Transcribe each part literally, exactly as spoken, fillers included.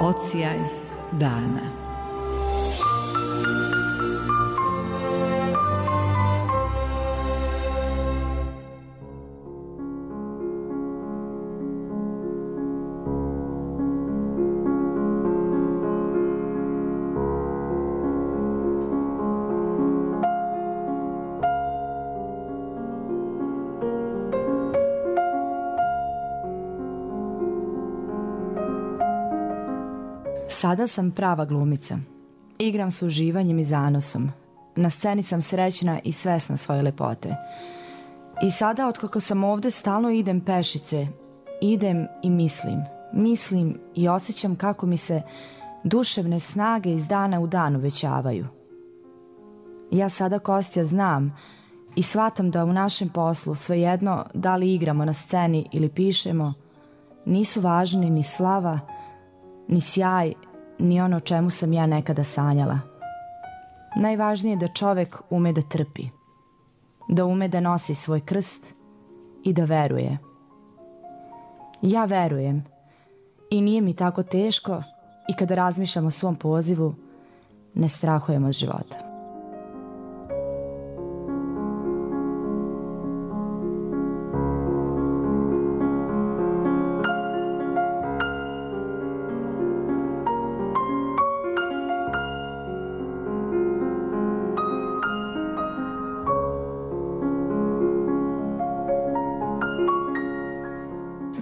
Odsjaj dana. Sada sam prava glumica. Igram s uživanjem i zanosom. Na sceni sam srećna i svesna svoje lepote. I sada, otkako sam ovde, stalno idem pešice. Idem i mislim. Mislim i osjećam kako mi se duševne snage iz dana u dan uvećavaju. Ja sada, Kostja, znam i shvatam da u našem poslu, svejedno da li igramo na sceni ili pišemo, nisu važni ni slava, ni sjaj, ni ono o čemu sam ja nekada sanjala. Najvažnije je da čovek ume da trpi, da ume da nosi svoj krst i da veruje. Ja verujem i nije mi tako teško i kada razmišljam o svom pozivu, ne strahujem od života.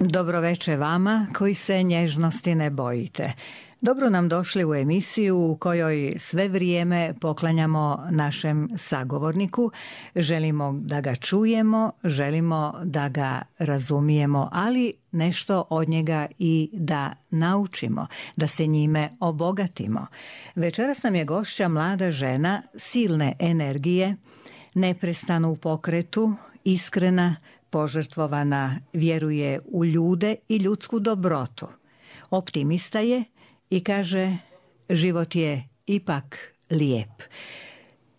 Dobro veče vama koji se nježnosti ne bojite. Dobro nam došli u emisiju u kojoj sve vrijeme poklanjamo našem sagovorniku. Želimo da ga čujemo, želimo da ga razumijemo, ali nešto od njega i da naučimo, da se njime obogatimo. Večeras nam je gošća mlada žena silne energije, neprestano u pokretu, iskrena, požrtvovana, vjeruje u ljude i ljudsku dobrotu. Optimista je i kaže, život je ipak lijep.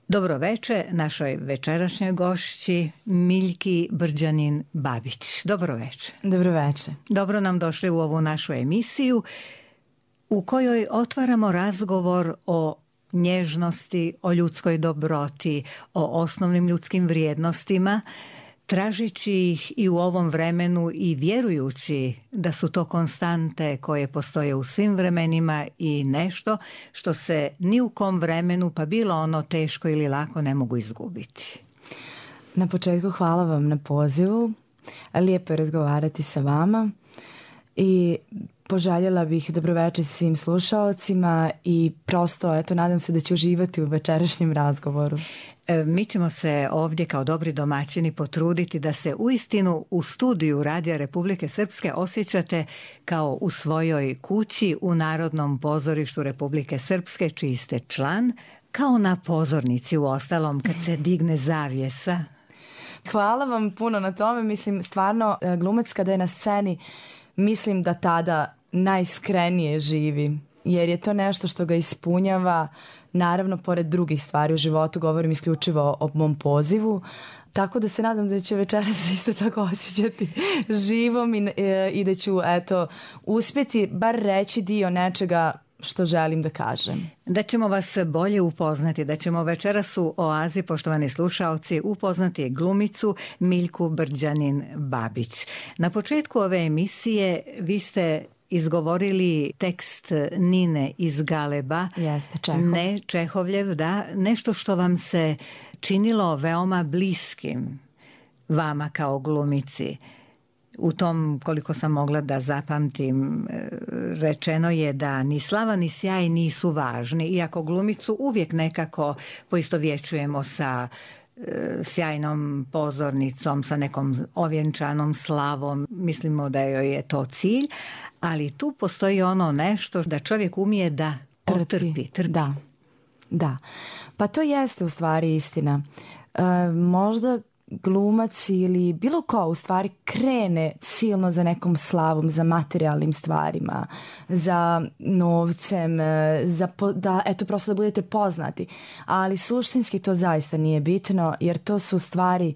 Dobro veče našoj večerašnjoj gošći Miljki Brđanin-Babić. Dobro veče. Dobro veče. Dobro nam došli u ovu našu emisiju u kojoj otvaramo razgovor o nježnosti, o ljudskoj dobroti, o osnovnim ljudskim vrijednostima, tražići ih i u ovom vremenu i vjerujući da su to konstante koje postoje u svim vremenima i nešto što se ni u kom vremenu, pa bilo ono teško ili lako, ne mogu izgubiti. Na početku hvala vam na pozivu. Lijepo je razgovarati sa vama i poželjela bih dobroveče svim slušaocima i prosto, eto, nadam se da ću uživati u večerašnjem razgovoru. Mi ćemo se ovdje kao dobri domaćini potruditi da se uistinu u studiju Radija Republike Srpske osjećate kao u svojoj kući u Narodnom pozorištu Republike Srpske, čiji ste član, kao na pozornici u ostalom kad se digne zavjesa. Hvala vam puno na tome. Mislim, stvarno, glumac kada je na sceni, mislim da tada najiskrenije živi, jer je to nešto što ga ispunjava. Naravno, pored drugih stvari u životu, govorim isključivo o mom pozivu, tako da se nadam da će večeras isto tako osjećati živom i, i da ću, eto, uspjeti bar reći dio nečega što želim da kažem. Da ćemo vas bolje upoznati, da ćemo večeras u Oazi, poštovani slušaoci, upoznati glumicu Miljku Brđanin-Babić. Na početku ove emisije vi ste izgovorili tekst Nine iz Galeba. Jeste, Čehov. Ne, Čehovljev, da. Nešto što vam se činilo veoma bliskim vama kao glumici. U tom, koliko sam mogla da zapamtim, rečeno je da ni slava ni sjaj nisu važni, iako glumicu uvijek nekako poistovjećujemo sa sjajnom pozornicom, sa nekom ovjenčanom slavom, mislimo da joj je to cilj, ali tu postoji ono nešto da čovjek umije da otrpi, trpi. Da, da. Pa to jeste u stvari istina. E, možda glumac ili bilo ko u stvari krene silno za nekom slavom, za materijalnim stvarima, za novcem, za po, da eto prosto da budete poznati. Ali suštinski to zaista nije bitno, jer to su stvari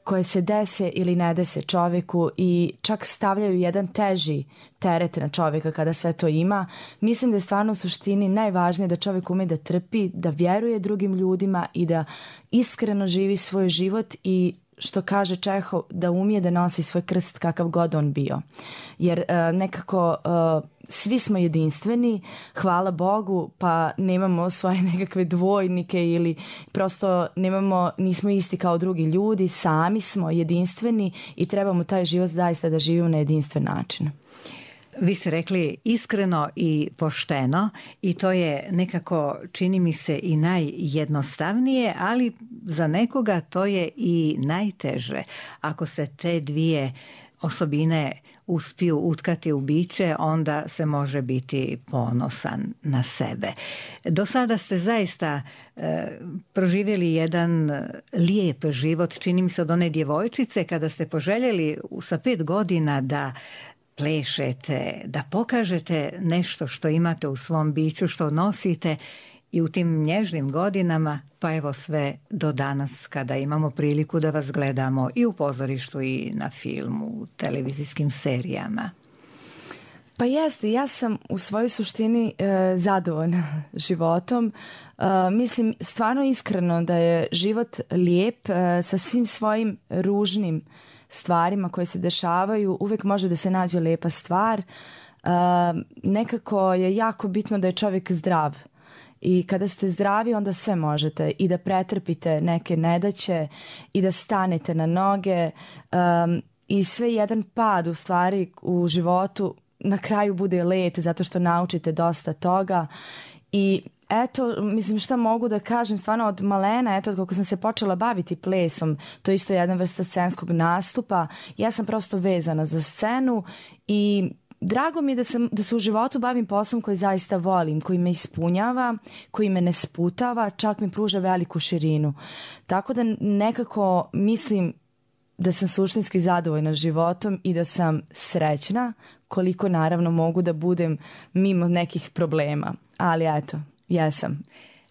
koje se dese ili ne dese čovjeku i čak stavljaju jedan teži teret na čovjeka kada sve to ima. Mislim da je stvarno u suštini najvažnije da čovjek ume da trpi, da vjeruje drugim ljudima i da iskreno živi svoj život i što kaže Čehov, da umije da nosi svoj krst kakav god on bio. Jer uh, nekako uh, svi smo jedinstveni, hvala Bogu, pa nemamo svoje nekakve dvojnike ili prosto nemamo, nismo isti kao drugi ljudi, sami smo jedinstveni i trebamo taj život zaista da živimo na jedinstven način. Vi ste rekli iskreno i pošteno i to je nekako, čini mi se, i najjednostavnije, ali za nekoga to je i najteže. Ako se te dvije osobine uspiju utkati u biće, onda se može biti ponosan na sebe. Do sada ste zaista e, proživjeli jedan lijep život, čini mi se, od one djevojčice kada ste poželjeli sa pet godina da plešete, da pokažete nešto što imate u svom biću, što nosite, i u tim nježnim godinama, pa evo sve do danas kada imamo priliku da vas gledamo i u pozorištu i na filmu, u televizijskim serijama. Pa jeste, ja sam u svojoj suštini e, zadovoljna životom. E, mislim stvarno iskreno da je život lijep e, sa svim svojim ružnim stvarima koje se dešavaju, uvijek može da se nađe lijepa stvar. Uh, nekako je jako bitno da je čovjek zdrav i kada ste zdravi onda sve možete i da pretrpite neke nedaće i da stanete na noge um, i sve jedan pad u stvari u životu na kraju bude let zato što naučite dosta toga i eto, mislim šta mogu da kažem, stvarno od malena, eto, kako sam se počela baviti plesom, to je isto jedna vrsta scenskog nastupa, ja sam prosto vezana za scenu i drago mi je da, sam, da se u životu bavim poslom koji zaista volim, koji me ispunjava, koji me ne sputava, čak mi pruža veliku širinu. Tako da nekako mislim da sam suštinski zadovoljna životom i da sam srećna, koliko naravno mogu da budem mimo nekih problema, ali eto, jesam.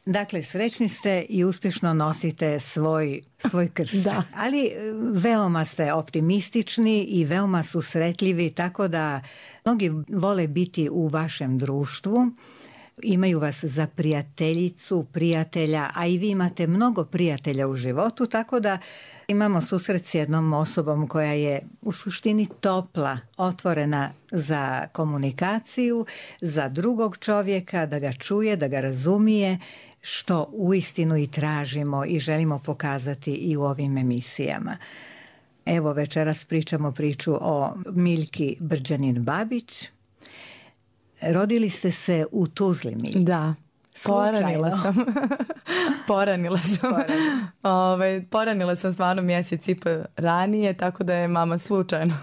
Dakle, srećni ste i uspješno nosite svoj, svoj krst. Da. Ali veoma ste optimistični i veoma susretljivi, tako da mnogi vole biti u vašem društvu. Imaju vas za prijateljicu, prijatelja, a i vi imate mnogo prijatelja u životu, tako da imamo susret s jednom osobom koja je u suštini topla, otvorena za komunikaciju, za drugog čovjeka, da ga čuje, da ga razumije, što uistinu i tražimo i želimo pokazati i u ovim emisijama. Evo, večeras pričamo priču o Miljki Brđanin-Babić. Rodili ste se u Tuzli, Miljka. Da. Poranila sam. poranila sam. Poranila. Ove, poranila sam stvarno mjesec i po ranije, tako da je mama slučajno.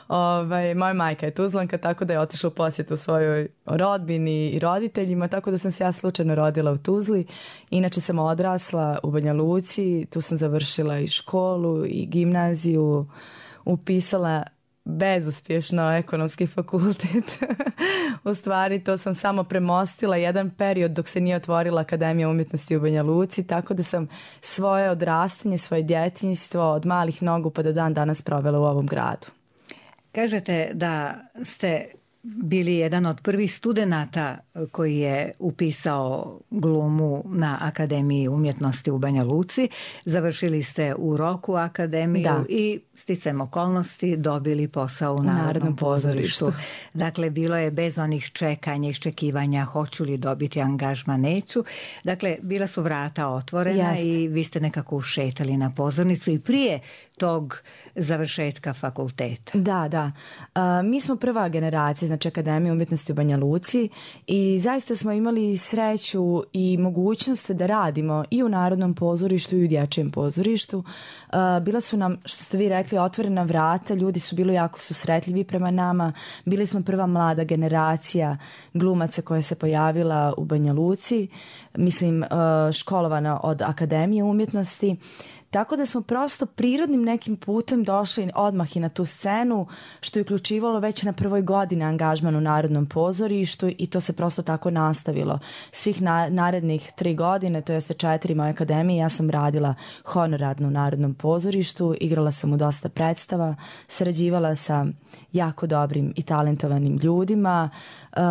Ove, moja majka je Tuzlanka, tako da je otišla u posjetu svojoj rodbini i roditeljima, tako da sam se ja slučajno rodila u Tuzli. Inače sam odrasla u Banja Luci, tu sam završila i školu i gimnaziju, upisala bezuspješno ekonomski fakultet. U stvari to sam samo premostila jedan period dok se nije otvorila Akademija umjetnosti u Banja Luci, tako da sam svoje odrastanje, svoje djetinjstvo od malih nogu pa do dan danas provela u ovom gradu. Kažete da ste bili jedan od prvih studenata koji je upisao glumu na Akademiji umjetnosti u Banja Luci. Završili ste u roku akademiju da. I sticajem okolnosti dobili posao u, u Narodnom, Narodnom pozorištu. pozorištu. Dakle, bilo je bez onih čekanja, iščekivanja, hoću li dobiti angažman, neću. Dakle, bila su vrata otvorena Jest. I vi ste nekako ušetali na pozornicu i prije tog završetka fakulteta. Da, da. Uh, mi smo prva generacija, znači Akademije umjetnosti u Banja Luci i zaista smo imali sreću i mogućnost da radimo i u Narodnom pozorištu i u dječjem pozorištu. Uh, bila su nam, što ste vi rekli, otvorena vrata, ljudi su bili jako susretljivi prema nama. Bili smo prva mlada generacija glumaca koja se pojavila u Banja Luci, mislim uh, školovana od Akademije umjetnosti. Tako da smo prosto prirodnim nekim putem došli odmah i na tu scenu, što je uključivalo već na prvoj godini angažman u Narodnom pozorištu i to se prosto tako nastavilo. Svih na, narednih tri godine, to jeste četiri moje akademije, ja sam radila honorarno u Narodnom pozorištu, igrala sam u dosta predstava, sarađivala sa jako dobrim i talentovanim ljudima. Uh,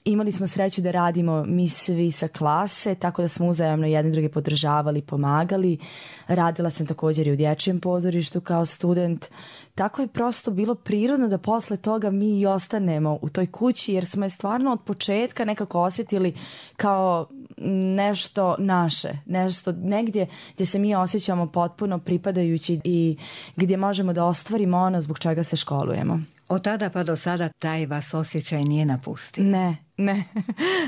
Imali smo sreću da radimo mi svi sa klase, tako da smo uzajamno jedni drugi podržavali, pomagali. Radila sam također i u dječjem pozorištu kao student. Tako je prosto bilo prirodno da posle toga mi i ostanemo u toj kući, jer smo je stvarno od početka nekako osjetili kao nešto naše, nešto negdje gdje se mi osjećamo potpuno pripadajući i gdje možemo da ostvarimo ono zbog čega se školujemo. Od tada pa do sada taj vas osjećaj nije napustio? Ne, ne,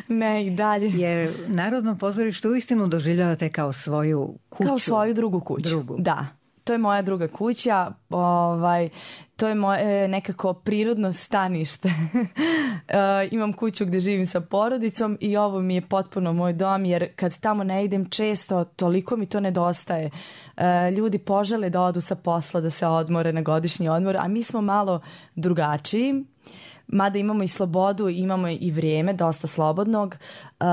ne i dalje. Jer Narodno pozorište uistinu doživljavate kao svoju kuću. Kao svoju drugu kuću, drugu. Da. To je moja druga kuća, ovaj, to je moje nekako prirodno stanište. e, imam kuću gdje živim sa porodicom i ovo mi je potpuno moj dom, jer kad tamo ne idem često, toliko mi to nedostaje. E, ljudi požele da odu sa posla, da se odmore na godišnji odmor, a mi smo malo drugačiji. Mada imamo i slobodu, imamo i vrijeme, dosta slobodnog. E,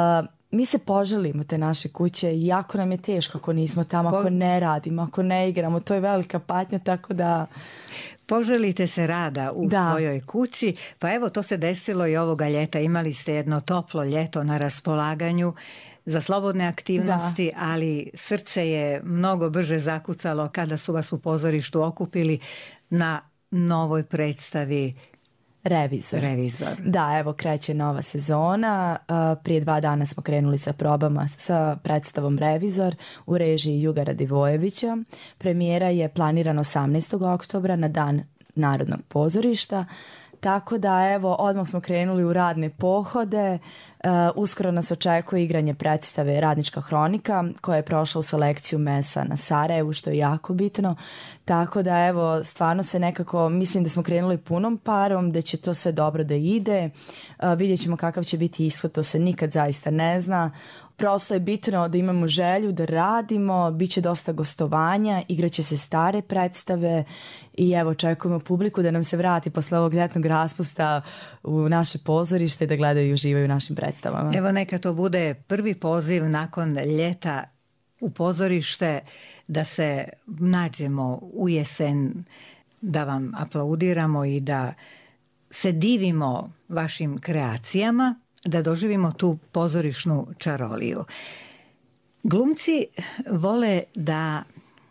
Mi se poželimo te naše kuće i jako nam je teško ako nismo tamo, ako ne radimo, ako ne igramo. To je velika patnja, tako da... Poželite se rada u da. svojoj kući, pa evo to se desilo i ovoga ljeta. Imali ste jedno toplo ljeto na raspolaganju za slobodne aktivnosti, da. Ali srce je mnogo brže zakucalo kada su vas u pozorištu okupili na novoj predstavi Revizor. Revizor. Da, evo kreće nova sezona. Prije dva dana smo krenuli sa probama sa predstavom Revizor u režiji Juga Radivojevića. Premijera je planirana osamnaestog oktobra na dan Narodnog pozorišta. Tako da evo odmah smo krenuli u radne pohode. Uh, uskoro nas očekuje igranje predstave Radnička hronika koja je prošla u selekciju Mesa na Sarajevu, što je jako bitno. Tako da evo stvarno se nekako, mislim da smo krenuli punom parom, da će to sve dobro da ide. Uh, vidjet ćemo kakav će biti ishod, to se nikad zaista ne zna. Prosto je bitno da imamo želju da radimo, bit će dosta gostovanja, igraće se stare predstave i evo očekujemo publiku da nam se vrati posle ovog ljetnog raspusta u naše pozorište da gledaju i uživaju u našim predstavama. Evo neka to bude prvi poziv nakon ljeta u pozorište da se nađemo u jesen, da vam aplaudiramo i da se divimo vašim kreacijama, da doživimo tu pozorišnu čaroliju. Glumci vole da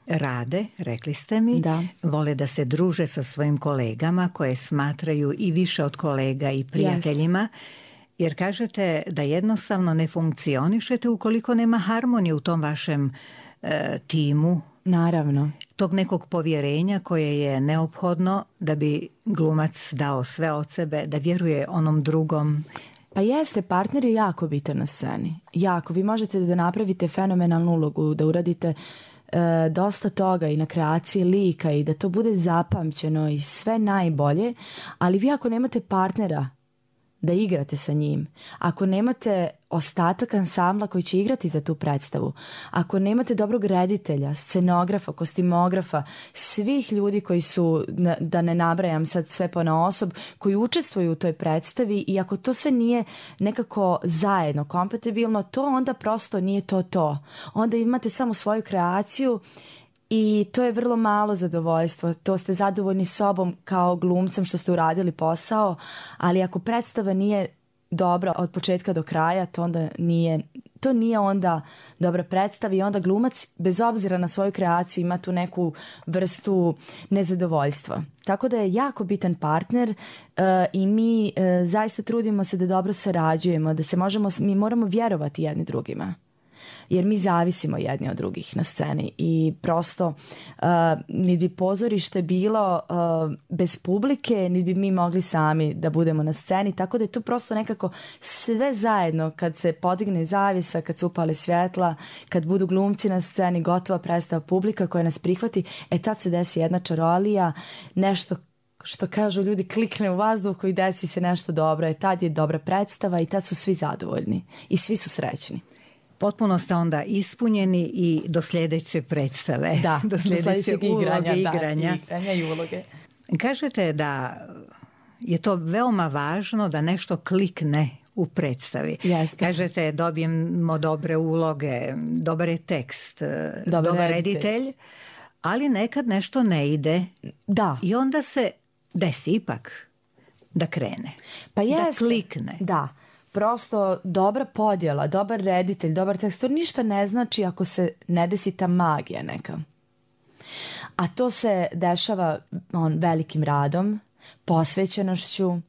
rade, rekli ste mi, da. Vole da se druže sa svojim kolegama koje smatraju i više od kolega i prijateljima, yes. Jer kažete da jednostavno ne funkcionišete ukoliko nema harmonije u tom vašem e, timu. Naravno. Tog nekog povjerenja koje je neophodno da bi glumac dao sve od sebe, da vjeruje onom drugom. Pa jeste, partner je jako bitan na sceni. Jako. Vi možete da napravite fenomenalnu ulogu, da uradite e, dosta toga i na kreaciji lika i da to bude zapamćeno i sve najbolje, ali vi ako nemate partnera da igrate sa njim, ako nemate ostatak ansambla koji će igrati za tu predstavu, ako nemate dobrog reditelja, scenografa, kostimografa, svih ljudi koji su, da ne nabrajam sad sve ponaosob, koji učestvuju u toj predstavi i ako to sve nije nekako zajedno, kompatibilno, to onda prosto nije to to. Onda imate samo svoju kreaciju i to je vrlo malo zadovoljstvo. To ste zadovoljni sobom kao glumcem što ste uradili posao, ali ako predstava nije dobra od početka do kraja, to onda nije, to nije onda dobra predstava i onda glumac bez obzira na svoju kreaciju ima tu neku vrstu nezadovoljstva. Tako da je jako bitan partner uh, i mi uh, zaista trudimo se da dobro sarađujemo, da se možemo, mi moramo vjerovati jedni drugima. Jer mi zavisimo jedni od drugih na sceni i prosto uh, ni bi pozorište bilo uh, bez publike, ni bi mi mogli sami da budemo na sceni, tako da je to prosto nekako sve zajedno kad se podigne zavjesa, kad se upale svjetla, kad budu glumci na sceni, gotova predstava, publika koja nas prihvati, e tad se desi jedna čarolija, nešto što kažu ljudi, klikne u vazduhu i desi se nešto dobro, e tad je dobra predstava i tad su svi zadovoljni i svi su srećni. potpuno ste onda ispunjeni i do sljedeće predstave. Da, do sljedeće do uloge, igranja, igranja. Da, igranja i uloge. Kažete da je to veoma važno da nešto klikne u predstavi. Jeste. Kažete dobijemo dobre uloge, dobar je tekst, dobar, dobar reditelj, ali nekad nešto ne ide. Da. I onda se desi ipak da krene, pa jest, da klikne. Da, prosto dobra podjela, dobar reditelj, dobar tekst, to ništa ne znači ako se ne desi ta magija neka. A to se dešava on, velikim radom, posvećenošću, uh,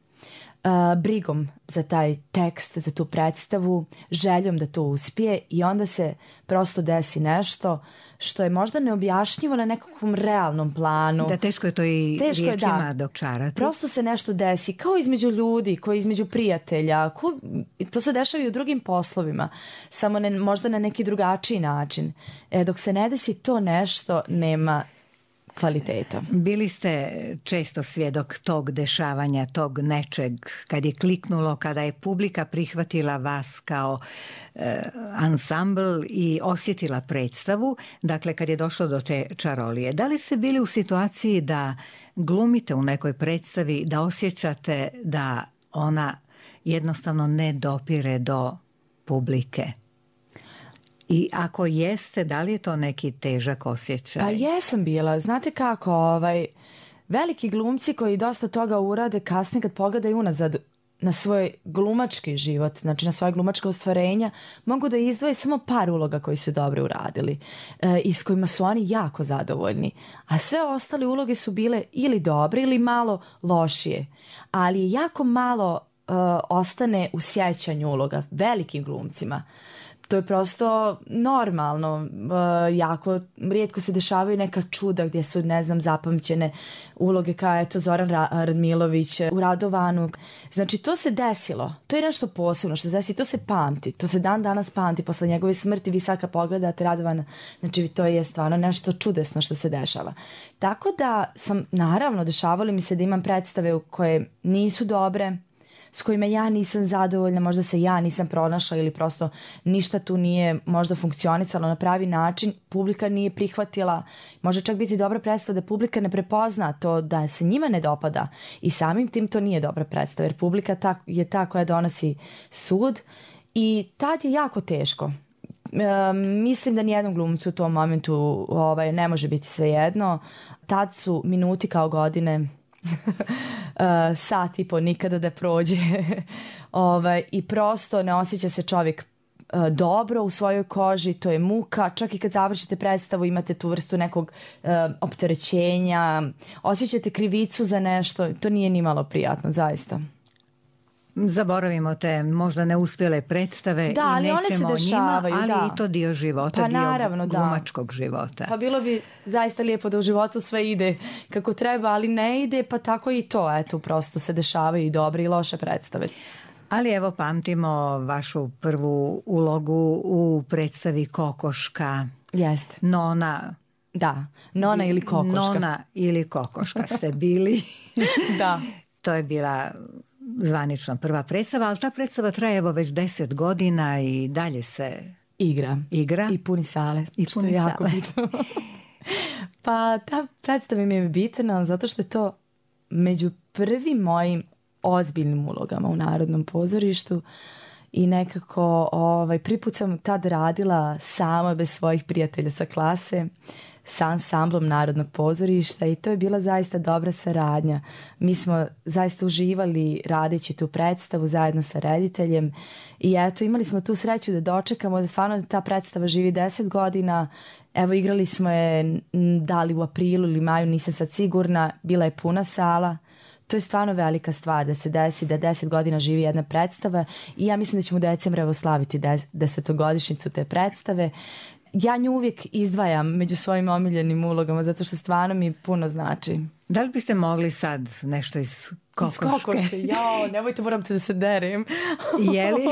brigom za taj tekst, za tu predstavu, željom da to uspije i onda se prosto desi nešto što je možda neobjašnjivo na nekakvom realnom planu. Da, teško je to i teško riječima je, da. dočarati. Prosto se nešto desi, kao između ljudi, kao između prijatelja. Ko, to se dešava i u drugim poslovima, samo ne, možda na neki drugačiji način. E, dok se ne desi to nešto, nema kvaliteta. Bili ste često svjedok tog dešavanja, tog nečeg, kad je kliknulo, kada je publika prihvatila vas kao e, ansambl i osjetila predstavu, dakle kad je došlo do te čarolije. Da li ste bili u situaciji da glumite u nekoj predstavi, da osjećate da ona jednostavno ne dopire do publike? I ako jeste, da li je to neki težak osjećaj? Pa jesam bila. Znate kako, ovaj, veliki glumci koji dosta toga urade kasnije kad pogledaju unazad na svoj glumački život, znači na svoje glumačka ostvarenja, mogu da izdvoje samo par uloga koji su dobro uradili e, i s kojima su oni jako zadovoljni. A sve ostale uloge su bile ili dobre ili malo lošije. Ali je jako malo e, ostane u sjećanju uloga velikim glumcima. To je prosto normalno, e, jako rijetko se dešavaju neka čuda gdje su, ne znam, zapamćene uloge kao eto Zoran Radmilović u Radovanu. Znači to se desilo, to je nešto posebno što se desi, to se pamti, to se dan danas pamti posle njegove smrti. Vi sad kad pogledate Radovana, znači to je stvarno nešto čudesno što se dešava. Tako da sam, naravno, dešavalo mi se da imam predstave koje nisu dobre, s kojima ja nisam zadovoljna, možda se ja nisam pronašla ili prosto ništa tu nije možda funkcionisalo na pravi način, publika nije prihvatila, može čak biti dobra predstava da publika ne prepozna to da se njima ne dopada i samim tim to nije dobra predstava jer publika ta, je ta koja donosi sud i tad je jako teško. E, mislim da nijednom glumcu u tom momentu ovaj, ne može biti svejedno, tad su minuti kao godine. Uh, sat i po nikada da prođe ovaj, i prosto ne osjeća se čovjek uh, dobro u svojoj koži, to je muka, čak i kad završite predstavu imate tu vrstu nekog uh, opterećenja, osjećate krivicu za nešto, to nije ni malo prijatno, zaista. Zaboravimo te možda neuspjele predstave da, i nećemo o njima, ali da. I to dio života, pa, dio naravno, glumačkog da. života. Pa bilo bi zaista lijepo da u životu sve ide kako treba, ali ne ide, pa tako i to, eto, prosto se dešavaju i dobre i loše predstave. Ali evo pamtimo vašu prvu ulogu u predstavi Kokoška. Jeste. Nona. Da, Nona ili Kokoška. Nona ili Kokoška ste bili. Da. To je bila zvanična prva predstava, ali ta predstava traje evo već deset godina i dalje se igra. igra. I puni sale. I puni što je sale. jako bitno. Pa ta predstava mi je bitna zato što je to među prvim mojim ozbiljnim ulogama u Narodnom pozorištu i nekako ovaj, prvi put sam tad radila sama bez svojih prijatelja sa klase sa ansamblom Narodnog pozorišta i to je bila zaista dobra saradnja. Mi smo zaista uživali radeći tu predstavu zajedno sa rediteljem i eto imali smo tu sreću da dočekamo da stvarno ta predstava živi deset godina. Evo igrali smo je da li u aprilu ili maju, nisam sad sigurna, bila je puna sala. To je stvarno velika stvar da se desi da deset godina živi jedna predstava i ja mislim da ćemo u decembru evo slaviti desetogodišnjicu te predstave. Ja nju uvijek izdvajam među svojim omiljenim ulogama zato što stvarno mi puno znači. Da li biste mogli sad nešto iz Kokoške? Iz Kokoške, jao, nemojte, moram te da se derem. Je li?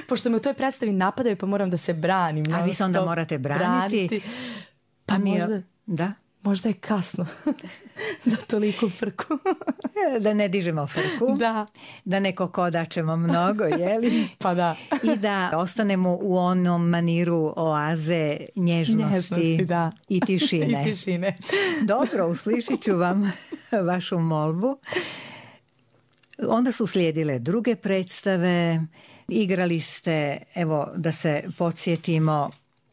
Pošto me u toj predstavi napadaju pa moram da se branim. A vi se onda morate braniti. braniti. Pa mi možda... Da? možda je kasno za toliko frku. Da ne dižemo frku. Da. Da ne kokodačemo mnogo, jeli? Pa da. I da ostanemo u onom maniru oaze nježnosti, nježnosti da. i tišine. I tišine. Dobro, uslišit ću vam vašu molbu. Onda su slijedile druge predstave. Igrali ste, evo da se podsjetimo,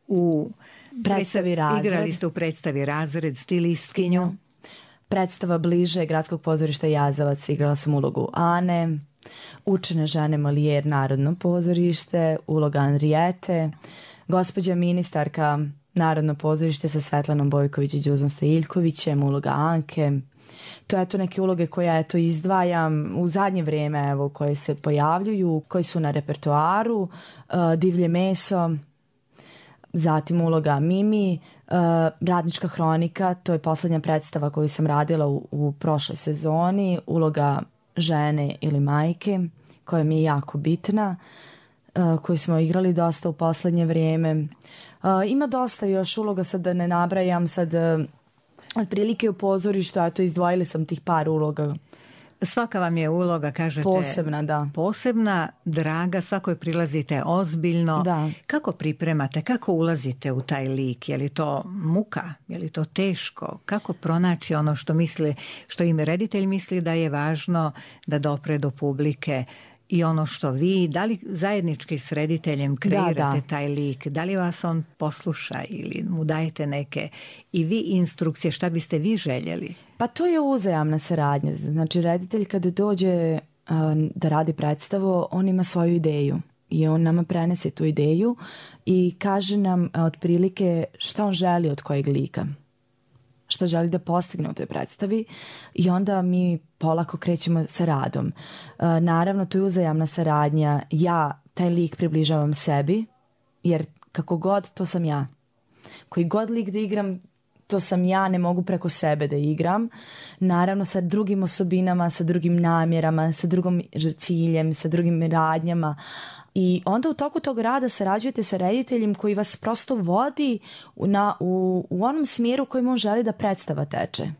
u predstavi Razred. Igrali ste u predstavi Razred, stilistkinju. Predstava Bliže Gradskog pozorišta Jazavac, igrala sam ulogu Ane. Učene žene Molijer, Narodno pozorište, uloga Anrijete. Gospođa ministarka, Narodno pozorište sa Svetlanom Bojković i Đuzom Stojiljkovićem, uloga Anke. To je to neke uloge koje ja eto izdvajam u zadnje vrijeme, evo, koje se pojavljuju, koji su na repertoaru. Uh, Divlje meso, zatim uloga Mimi, uh, Radnička hronika, to je posljednja predstava koju sam radila u, u prošloj sezoni, uloga žene ili majke, koja mi je jako bitna, uh, koju smo igrali dosta u posljednje vrijeme. Uh, ima dosta još uloga, sad da ne nabrajam, sad uh, otprilike u pozorištu, a to izdvojili sam tih par uloga. Svaka vam je uloga, kažete, posebna, da. Posebna, draga, svakoj prilazite ozbiljno. Da. Kako pripremate, kako ulazite u taj lik? Je li to muka? Je li to teško? Kako pronaći ono što misli, što im reditelj misli da je važno da dopre do publike? I ono što vi, da li zajednički s rediteljem kreirate da, da. taj lik, da li vas on posluša ili mu dajete neke i vi instrukcije, šta biste vi željeli? Pa to je uzajamna saradnja. Znači reditelj kada dođe uh, da radi predstavu, on ima svoju ideju i on nama prenese tu ideju i kaže nam uh, otprilike šta on želi od kojeg lika, što želi da postigne u toj predstavi i onda mi polako krećemo sa radom. Uh, naravno, to je uzajamna saradnja. Ja taj lik približavam sebi, jer kako god, to sam ja. Koji god lik da igram, to sam ja, ne mogu preko sebe da igram. Naravno, sa drugim osobinama, sa drugim namjerama, sa drugim ciljem, sa drugim radnjama. I onda u toku tog rada sarađujete sa rediteljem koji vas prosto vodi na, u, u onom smjeru kojim on želi da predstava teče.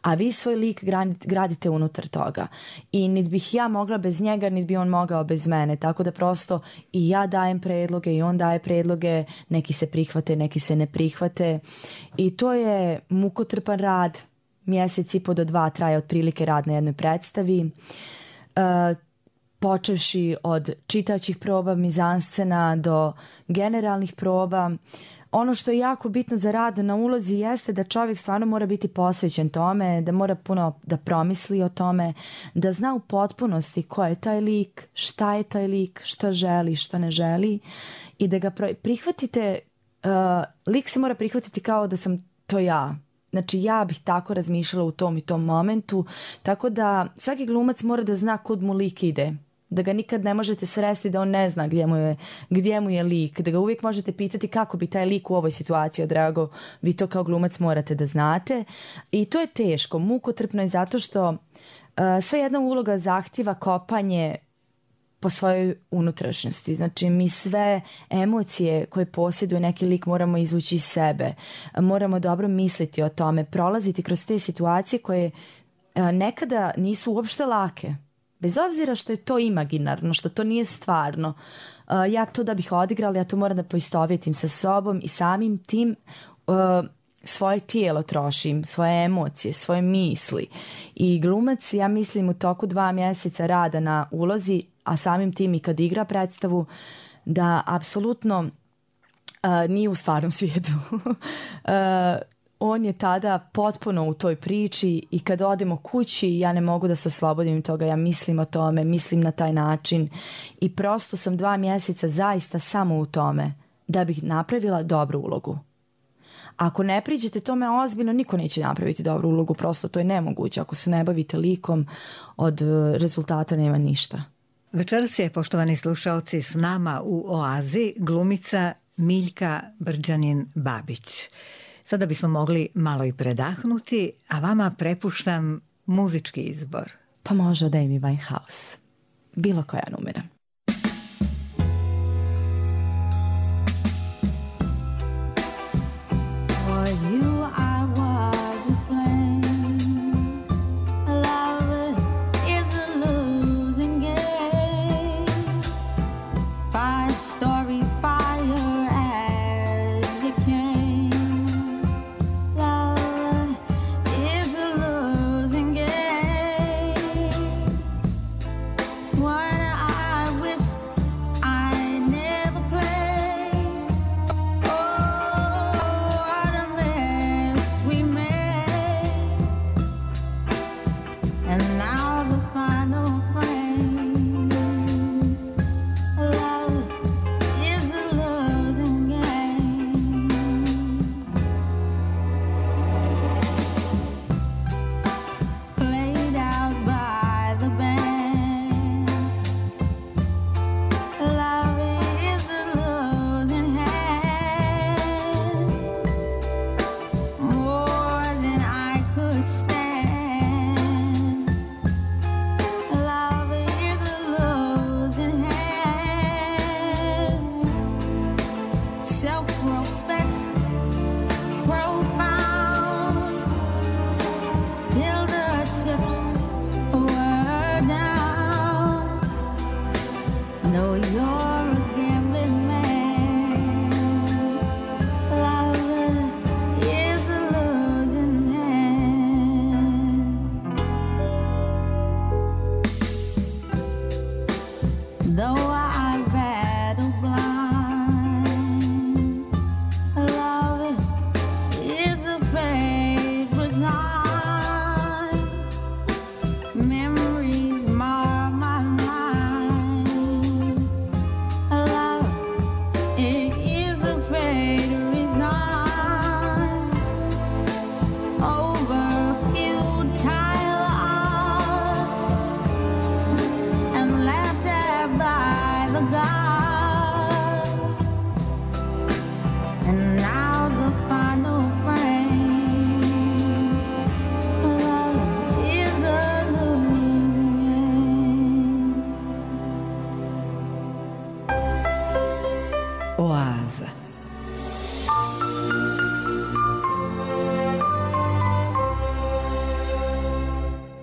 A vi svoj lik gradite unutar toga. I niti bih ja mogla bez njega, niti bi on mogao bez mene. Tako da prosto i ja dajem predloge i on daje predloge. Neki se prihvate, neki se ne prihvate. I to je mukotrpan rad. Mjesec i po do dva traje otprilike rad na jednoj predstavi. Uh, počevši od čitaćih proba, mizanscena do generalnih proba. Ono što je jako bitno za rad na ulozi jeste da čovjek stvarno mora biti posvećen tome, da mora puno da promisli o tome, da zna u potpunosti ko je taj lik, šta je taj lik, šta želi, šta ne želi i da ga prihvatite, uh, lik se mora prihvatiti kao da sam to ja. Znači ja bih tako razmišljala u tom i tom momentu, tako da svaki glumac mora da zna kud mu lik ide. Da ga nikad ne možete sresti da on ne zna gdje mu je, gdje mu je lik, da ga uvijek možete pitati kako bi taj lik u ovoj situaciji odrago, vi to kao glumac morate da znate i to je teško, mukotrpno je zato što uh, sve jedna uloga zahtjeva kopanje po svojoj unutrašnjosti, znači mi sve emocije koje posjeduje neki lik moramo izvući iz sebe, moramo dobro misliti o tome, prolaziti kroz te situacije koje uh, nekada nisu uopšte lake. Bez obzira što je to imaginarno, što to nije stvarno, uh, ja to da bih odigrala, ja to moram da poistovjetim sa sobom i samim tim uh, svoje tijelo trošim, svoje emocije, svoje misli. I glumac, ja mislim, u toku dva mjeseca rada na ulozi, a samim tim i kad igra predstavu, da apsolutno uh, nije u stvarnom svijetu. uh, On je tada potpuno u toj priči i kad odemo kući ja ne mogu da se oslobodim toga, ja mislim o tome, mislim na taj način i prosto sam dva mjeseca zaista samo u tome da bih napravila dobru ulogu. Ako ne priđete tome ozbiljno, niko neće napraviti dobru ulogu, prosto to je nemoguće. Ako se ne bavite likom, od rezultata nema ništa. Večeras je, poštovani slušaoci, s nama u Oazi glumica Miljka Brđanin-Babić. Sada bismo mogli malo i predahnuti, a vama prepuštam muzički izbor. Pa može od Amy Winehouse. Bilo koja numera. For you I was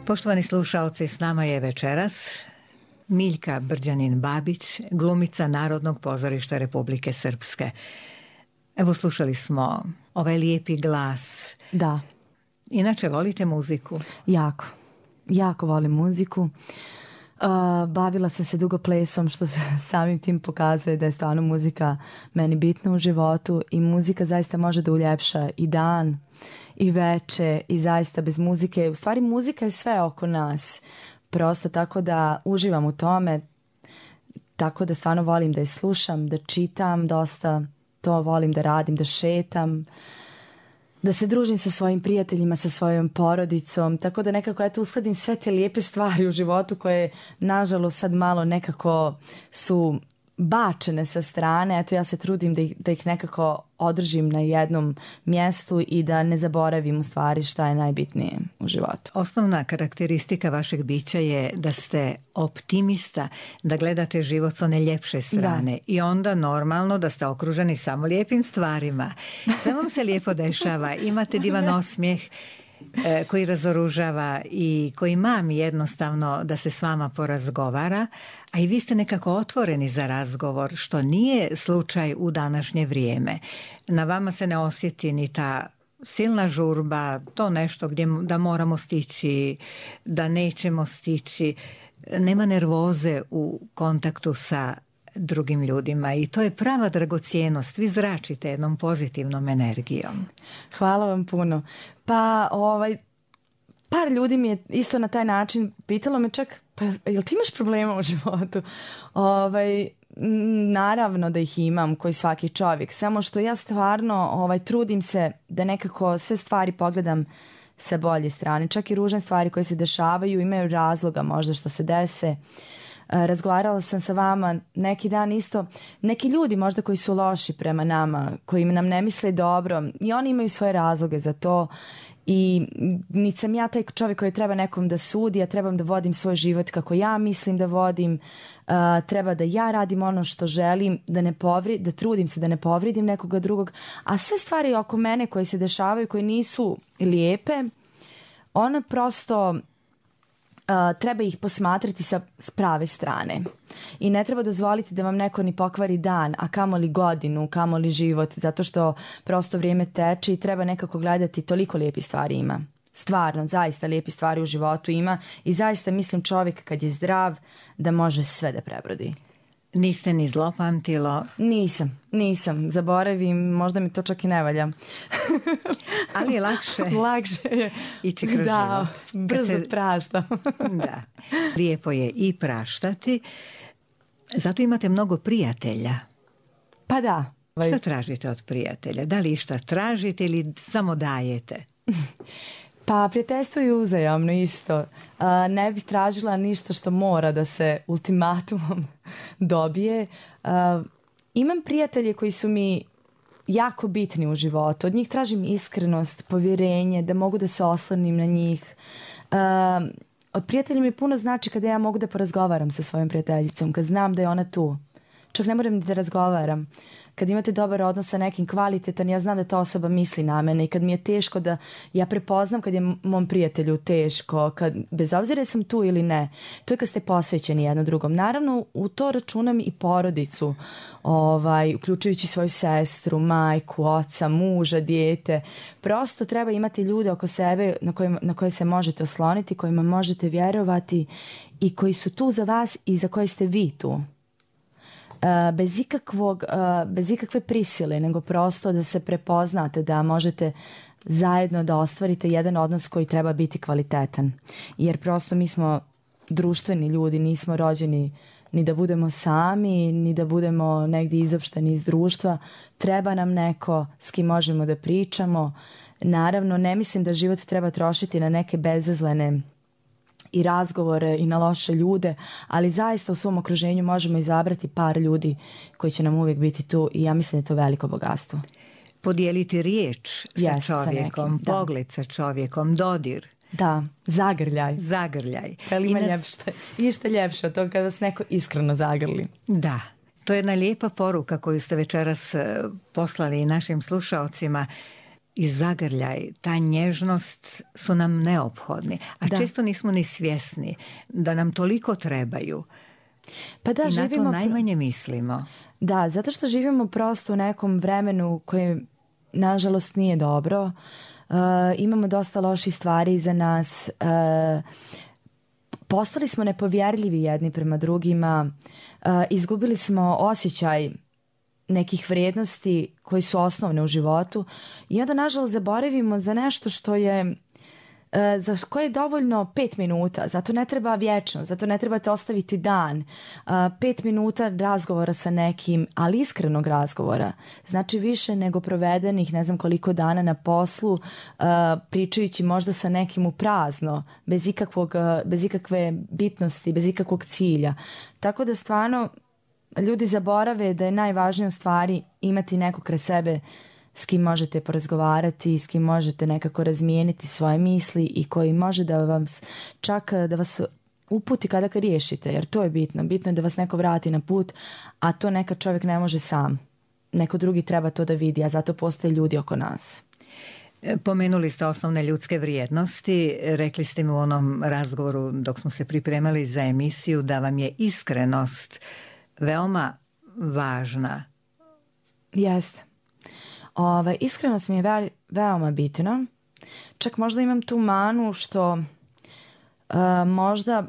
Poštovani slušaoci, s nama je večeras Miljka Brđanin-Babić, glumica Narodnog pozorišta Republike Srpske. Evo, slušali smo ovaj lijepi glas. Da. Inače, volite muziku? Jako. Jako volim muziku. Uh, bavila sam se dugo plesom, što samim tim pokazuje da je stvarno muzika meni bitna u životu i muzika zaista može da uljepša i dan i veče i zaista bez muzike. U stvari muzika je sve oko nas. Prosto tako da uživam u tome, tako da stvarno volim da je slušam, da čitam dosta, to volim da radim, da šetam, da se družim sa svojim prijateljima, sa svojom porodicom, tako da nekako eto uskladim sve te lijepe stvari u životu koje nažalost sad malo nekako su bačene sa strane. Eto ja se trudim da ih, da ih nekako održim na jednom mjestu i da ne zaboravim u stvari šta je najbitnije u životu. Osnovna karakteristika vašeg bića je da ste optimista, da gledate život s one ljepše strane da. I onda normalno da ste okruženi samo lijepim stvarima. Sve vam se lijepo dešava, imate divan osmijeh koji razoružava i koji mami jednostavno da se s vama porazgovara, a i vi ste nekako otvoreni za razgovor, što nije slučaj u današnje vrijeme. Na vama se ne osjeti ni ta silna žurba, to nešto gdje da moramo stići, da nećemo stići. Nema nervoze u kontaktu sa drugim ljudima i to je prava dragocjenost. Vi zračite jednom pozitivnom energijom. Hvala vam puno. Pa ovaj, par ljudi mi je isto na taj način pitalo me čak, pa jel ti imaš problema u životu? Ovaj, naravno da ih imam, koji svaki čovjek, samo što ja stvarno ovaj, trudim se da nekako sve stvari pogledam sa bolje strane. Čak i ružne stvari koje se dešavaju imaju razloga možda što se dese. Razgovarala sam sa vama neki dan isto, neki ljudi možda koji su loši prema nama, koji nam ne misle dobro i oni imaju svoje razloge za to i niti sam ja taj čovjek koji treba nekom da sudi, ja trebam da vodim svoj život kako ja mislim da vodim, uh, treba da ja radim ono što želim, da ne povri, da trudim se da ne povrijedim nekoga drugog, a sve stvari oko mene koje se dešavaju, koje nisu lijepe, one prosto Uh, treba ih posmatrati sa prave strane i ne treba dozvoliti da vam neko ni pokvari dan, a kamoli godinu, kamoli život, zato što prosto vrijeme teče i treba nekako gledati, toliko lijepih stvari ima. Stvarno, zaista lijepi stvari u životu ima i zaista mislim čovjek kad je zdrav da može sve da prebrodi. Niste ni zlopamtilo? Nisam, nisam. Zaboravim, možda mi to čak i ne valja. Ali je lakše. Lakše je. Ići kroz da, život. brzo se... prašta. Da. Lijepo je i praštati. Zato imate mnogo prijatelja. Pa da. Šta tražite od prijatelja? Da li išta tražite ili samo dajete? Pa prijateljstvo je uzajamno isto. Uh, ne bih tražila ništa što mora da se ultimatumom dobije. Uh, imam prijatelje koji su mi jako bitni u životu. Od njih tražim iskrenost, povjerenje, da mogu da se oslonim na njih. Uh, od prijatelja mi puno znači kada ja mogu da porazgovaram sa svojom prijateljicom, kad znam da je ona tu. Čak ne moram ni da razgovaram. Kad imate dobar odnos sa nekim kvalitetan, ja znam da ta osoba misli na mene i kad mi je teško da ja prepoznam kad je mom prijatelju teško, kad, bez obzira sam tu ili ne, to je kad ste posvećeni jedno drugom. Naravno, u to računam i porodicu, ovaj, uključujući svoju sestru, majku, oca, muža, dijete. Prosto treba imati ljude oko sebe na koje, na koje se možete osloniti, kojima možete vjerovati i koji su tu za vas i za koje ste vi tu. Bez ikakvog, bez ikakve prisile, nego prosto da se prepoznate da možete zajedno da ostvarite jedan odnos koji treba biti kvalitetan. Jer prosto mi smo društveni ljudi, nismo rođeni ni da budemo sami, ni da budemo negdje izopšteni iz društva. Treba nam neko s kim možemo da pričamo. Naravno, ne mislim da život treba trošiti na neke bezazlene i razgovore i na loše ljude, ali zaista u svom okruženju možemo izabrati par ljudi koji će nam uvijek biti tu i ja mislim da je to veliko bogatstvo. Podijeliti riječ sa yes, čovjekom, sa pogled sa čovjekom, dodir. Da, zagrljaj. Zagrljaj. Kad ima nas... ljepše, išta ljepše od toga kada vas neko iskreno zagrli. Da, to je jedna lijepa poruka koju ste večeras poslali i našim slušaocima. i zagrljaj, ta nježnost su nam neophodni, a da. Često nismo ni svjesni da nam toliko trebaju. Pa da, i na živimo... to najmanje mislimo. Da, zato što živimo prosto u nekom vremenu koje nažalost nije dobro. Uh, imamo dosta loših stvari iza nas. Uh, postali smo nepovjerljivi jedni prema drugima. Uh, izgubili smo osjećaj nekih vrijednosti koji su osnovne u životu i onda nažalost zaboravimo za nešto što je za koje je dovoljno pet minuta, zato ne treba vječno, zato ne trebate ostaviti dan. Pet minuta razgovora sa nekim, ali iskrenog razgovora, znači više nego provedenih ne znam koliko dana na poslu, pričajući možda sa nekim u prazno, bez ikakvog, bez ikakve bitnosti, bez ikakvog cilja. Tako da stvarno ljudi zaborave da je najvažnije u stvari imati nekog kraj sebe s kim možete porazgovarati, s kim možete nekako razmijeniti svoje misli i koji može da vam čak da vas uputi kada ga riješite, jer to je bitno. Bitno je da vas neko vrati na put, a to nekad čovjek ne može sam. Neko drugi treba to da vidi, a zato postoje ljudi oko nas. Pomenuli ste osnovne ljudske vrijednosti. Rekli ste mi u onom razgovoru dok smo se pripremali za emisiju da vam je iskrenost veoma važna. Jeste. Ove, iskrenost mi je ve, veoma bitna. Čak možda imam tu manu što uh, možda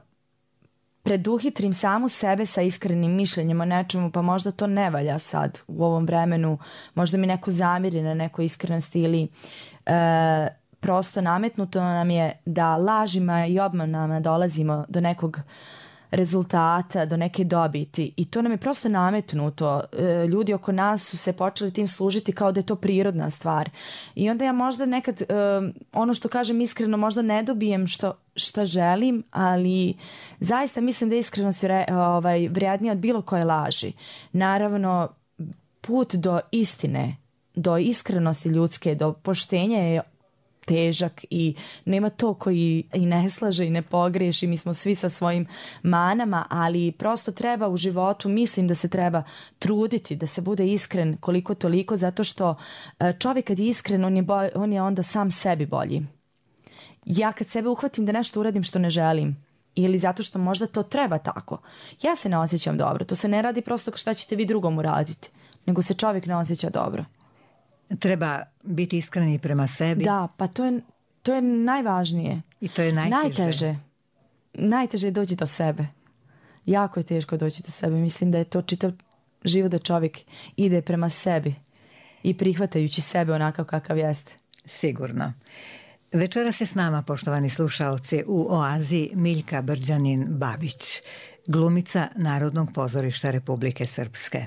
preduhitrim samu sebe sa iskrenim mišljenjem o nečemu, pa možda to ne valja sad u ovom vremenu. Možda mi neko zamiri na nekoj iskrenosti ili uh, prosto nametnuto nam je da lažima i obmanama dolazimo do nekog rezultata, do neke dobiti i to nam je prosto nametnuto. E, ljudi oko nas su se počeli tim služiti kao da je to prirodna stvar i onda ja možda nekad e, ono što kažem iskreno možda ne dobijem što, šta želim, ali zaista mislim da je iskrenost vre, ovaj, vrijednija od bilo koje laži. Naravno, put do istine, do iskrenosti ljudske, do poštenja je težak i nema to koji i ne slaže i ne pogriješi, mi smo svi sa svojim manama, ali prosto treba u životu, mislim da se treba truditi, da se bude iskren koliko toliko, zato što čovjek kad je iskren, on je, boj, on je onda sam sebi bolji. Ja kad sebe uhvatim da nešto uradim što ne želim, ili zato što možda to treba tako, ja se ne osjećam dobro, to se ne radi prosto šta ćete vi drugom uraditi, nego se čovjek ne osjeća dobro. Treba biti iskreni prema sebi. Da, pa to je, to je najvažnije. I to je najteže. Najteže. Najteže je doći do sebe. Jako je teško doći do sebe. Mislim da je to čitav život da čovjek ide prema sebi i prihvatajući sebe onakav kakav jeste. Sigurno. Večeras je s nama, poštovani slušaoci, u Oazi Miljka Brđanin-Babić, glumica Narodnog pozorišta Republike Srpske.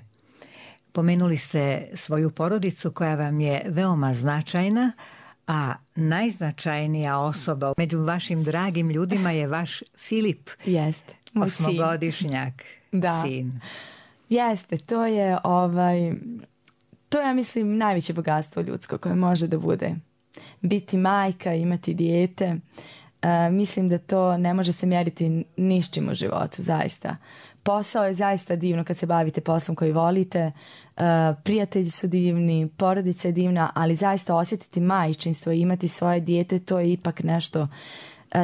Pomenuli ste svoju porodicu koja vam je veoma značajna, a najznačajnija osoba među vašim dragim ljudima je vaš Filip. Jeste. Osmogodišnjak da. sin. Jeste, to je ovaj, to je, ja mislim, najveće bogatstvo ljudsko koje može da bude. Biti majka, imati dijete, uh, mislim da to ne može se mjeriti ni s čim u životu, zaista. Posao je zaista divno kad se bavite poslom koji volite, uh, prijatelji su divni, porodica je divna, ali zaista osjetiti majčinstvo i imati svoje dijete, to je ipak nešto, uh,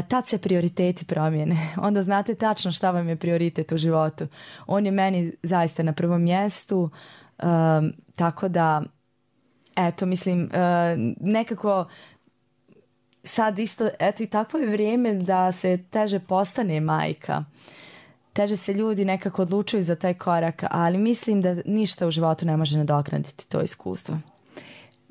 tad se prioriteti promijene. Onda znate tačno šta vam je prioritet u životu. On je meni zaista na prvom mjestu, uh, tako da, eto, mislim, uh, nekako sad isto, eto i takvo je vrijeme da se teže postane majka. Teže se ljudi nekako odlučuju za taj korak, ali mislim da ništa u životu ne može nadoknaditi to iskustvo.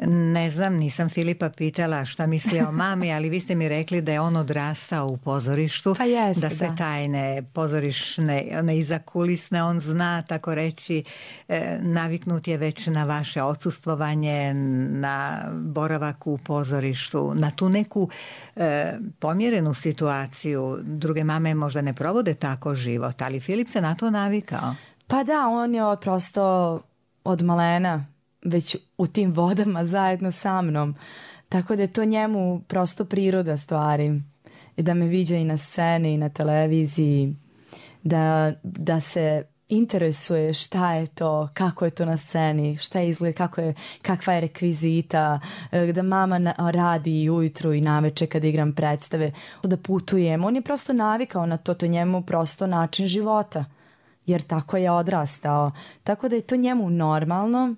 Ne znam, nisam Filipa pitala šta misli o mami, ali vi ste mi rekli da je on odrastao u pozorištu, pa jeste, da sve da. tajne pozorišne, one izakulisne, on zna, tako reći, e, naviknut je već na vaše odsustvovanje, na boravak u pozorištu, na tu neku e, pomjerenu situaciju. Druge mame možda ne provode tako život, ali Filip se na to navikao. Pa da, on je prosto od malena već u tim vodama zajedno sa mnom. Tako da je to njemu prosto priroda stvari. I da me viđa i na sceni i na televiziji. Da, da se interesuje šta je to, kako je to na sceni, šta je izgled, kako je, kakva je rekvizita, da mama na, radi i ujutru i naveče kad igram predstave, da putujem. On je prosto navikao na to, to je njemu prosto način života, jer tako je odrastao. Tako da je to njemu normalno.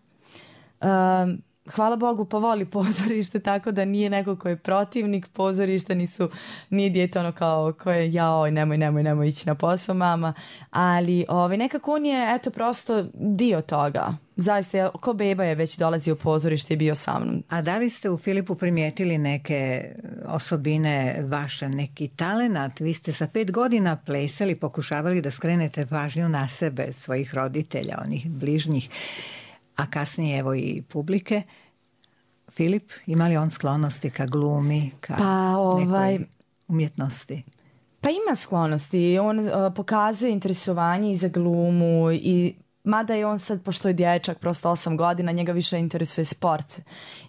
Um, Hvala Bogu, pa voli pozorište, tako da nije neko ko je protivnik pozorišta, nisu, nije dijete ono kao koje jaoj, nemoj, nemoj, nemoj ići na posao, mama, ali ovaj, nekako on je, eto, prosto dio toga. Zaista, ko beba je već dolazio u pozorište i bio sa mnom. A da li ste u Filipu primijetili neke osobine vaše, neki talenat? Vi ste sa pet godina plesali, pokušavali da skrenete pažnju na sebe, svojih roditelja, onih bližnjih, a kasnije evo i publike. Filip, ima li on sklonosti ka glumi, ka pa, ovaj, nekoj umjetnosti? Pa ima sklonosti. On uh, pokazuje interesovanje i za glumu, i mada je on sad, pošto je dječak, prosto osam godina, njega više interesuje sport.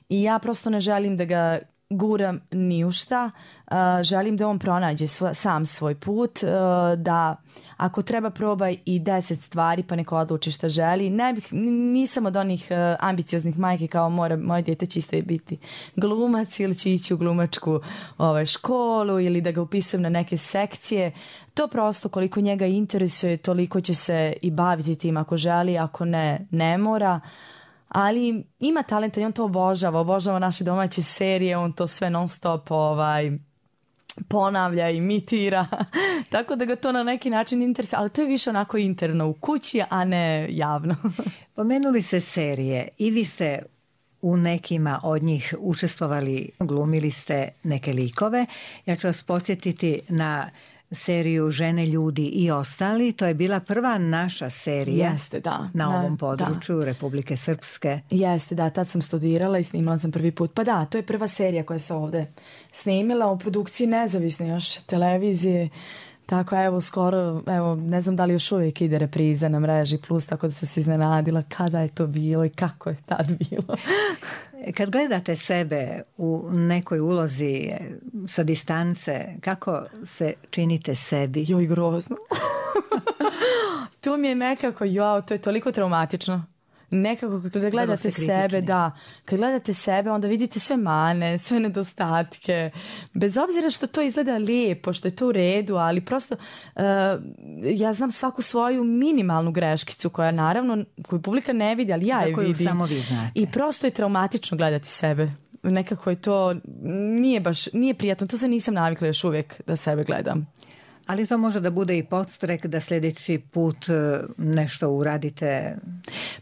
I ja prosto ne želim da ga guram ni u šta. Uh, želim da on pronađe svo, sam svoj put, uh, da ako treba probaj i deset stvari pa neko odluči šta želi. Ne bih, nisam od onih uh, ambicioznih majki kao mora, moje dijete će isto biti glumac ili će ići u glumačku ovaj, školu ili da ga upisujem na neke sekcije. To prosto koliko njega interesuje, toliko će se i baviti tim ako želi, ako ne, ne mora. Ali ima talenta i on to obožava, obožava naše domaće serije, on to sve non stop ovaj, ponavlja, imitira, tako da ga to na neki način interesuje, ali to je više onako interno u kući, a ne javno. Pomenuli se serije i vi ste u nekima od njih učestvovali, glumili ste neke likove. Ja ću vas podsjetiti na seriju Žene, ljudi i ostali. To je bila prva naša serija. Jeste, da. Na da, ovom području da. Republike Srpske. Jeste, da, tad sam studirala i snimala sam prvi put. Pa da, to je prva serija koja se ovde snimila u produkciji nezavisne još televizije. Tako, evo, skoro, evo, ne znam da li još uvijek ide repriza na mreži Plus, tako da sam se iznenadila kada je to bilo i kako je tad bilo. Kad gledate sebe u nekoj ulozi sa distance, kako se činite sebi? Joj, grozno. To mi je nekako, jao, to je toliko traumatično. Nekako kad gledate sebe, da, kad gledate sebe onda vidite sve mane, sve nedostatke, bez obzira što to izgleda lijepo, što je to u redu, ali prosto uh, ja znam svaku svoju minimalnu greškicu koja naravno, koju publika ne vidi, ali ja je vidim. Samo vi znate. I prosto je traumatično gledati sebe. Nekako je to, nije baš, nije prijatno, to se nisam navikla još uvijek da sebe gledam. Ali to može da bude i podstrek da sljedeći put nešto uradite.